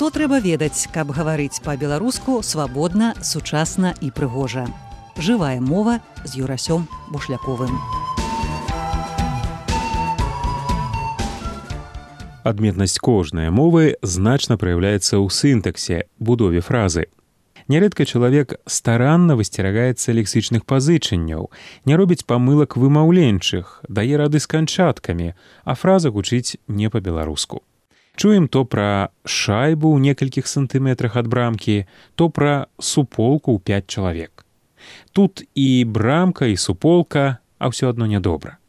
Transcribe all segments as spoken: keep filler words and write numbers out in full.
Што трэба ведаць, каб гаварыць па-беларуску свабодна, сучасна і прыгожа. Жывая мова з Юрасём Бушляковым. Адметнасць кожнай мовы значна праяўляецца ў сінтаксе, будове фразы. Нярэдка чалавек старанна высцерагаецца лексічных пазычанняў, не робіць памылак вымаўленчых, дае рады з канчаткамі, а фраза гучыць не па-беларуску. Чуем то пра шайбу ў некалькіх сантыметрах ад брамкі, то пра суполку ў пяць чалавек. Тут і брамка, і суполка, а ўсё адно нядобра.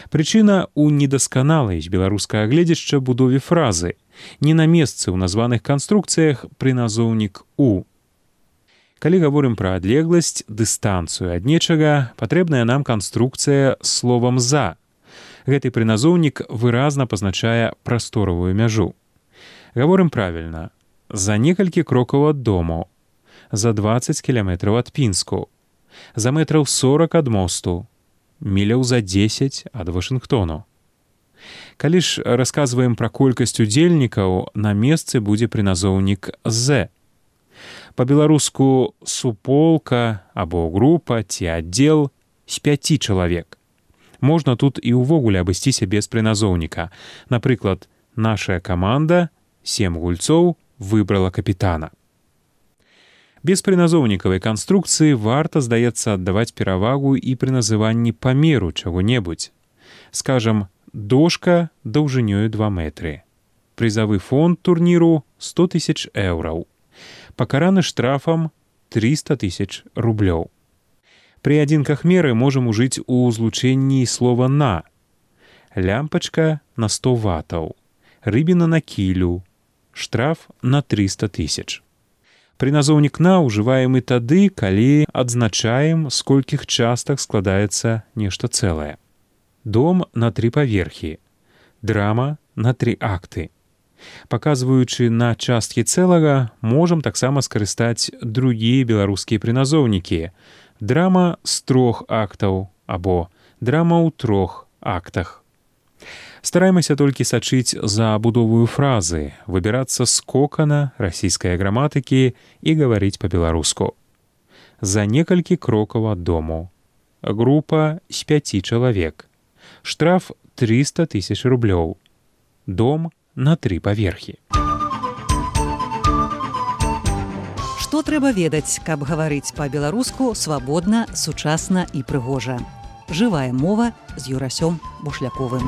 Прычына ў недасканалай з беларускага гледзяшча будове фразы, не на месцы ў названых канструкцыях прыназоўнік «у». Калі гаворым пра адлегласць, дыстанцыю ад нечага, патрэбная нам канструкцыя словам «за». Гэты прыназоўнік выразна пазначае прасторавую мяжу. Гаворым правільна. За некалькі крокаў ад дому, за дваццаць кіламетраў ад Пінску, за метраў сорак ад мосту, міляў за дзесяць ад Вашынгтону. Калі ж расказваем пра колькасць удзельнікаў, на месцы будзе прыназоўнік «з». Па-беларуску суполка або група ці аддзел з пяці чалавек. Можна тут і ўвогуле абысціся без прыназоўніка. Напрыклад, нашая каманда, сем гульцоў, выбрала капітана. Без прыназоўнікавай канструкцыі варта, здаецца, аддаваць перавагу і пры называнні памеру чаго-небудзь. Скажам, дошка даўжынёю два метры. Прызавы фонд турніру сто тысяч еўраў. Пакараны штрафам трыста тысяч рублёў. Пры адзінках меры можам ужыць у злучэнні слова «на». Лямпачка на сто ватаў, рыбіна на кілю, штраф на трыста тысяч. Прыназоўнік «на» ўжываем і тады, калі адзначаем, з колькіх частак складаецца нешта цэлае. Дом на тры паверхі, драма на тры акты. Паказваючы на часткі цэлага, можам таксама скарыстаць другія беларускія прыназоўнікі. Драма з трох актаў або драма ў трох актах. Стараемся толькі сачыць за будовую фразы, выбірацца з кокана расійскай граматыкі і гаварыць па-беларуску. За некалькі крокаў ад дому. Група з пяці чалавек. Штраф трыста тысяч рублёў. Дом на тры паверхі. Што трэба ведаць, каб гаварыць па-беларуску свабодна, сучасна і прыгожа. Жывая мова з Юрасём Бушляковым.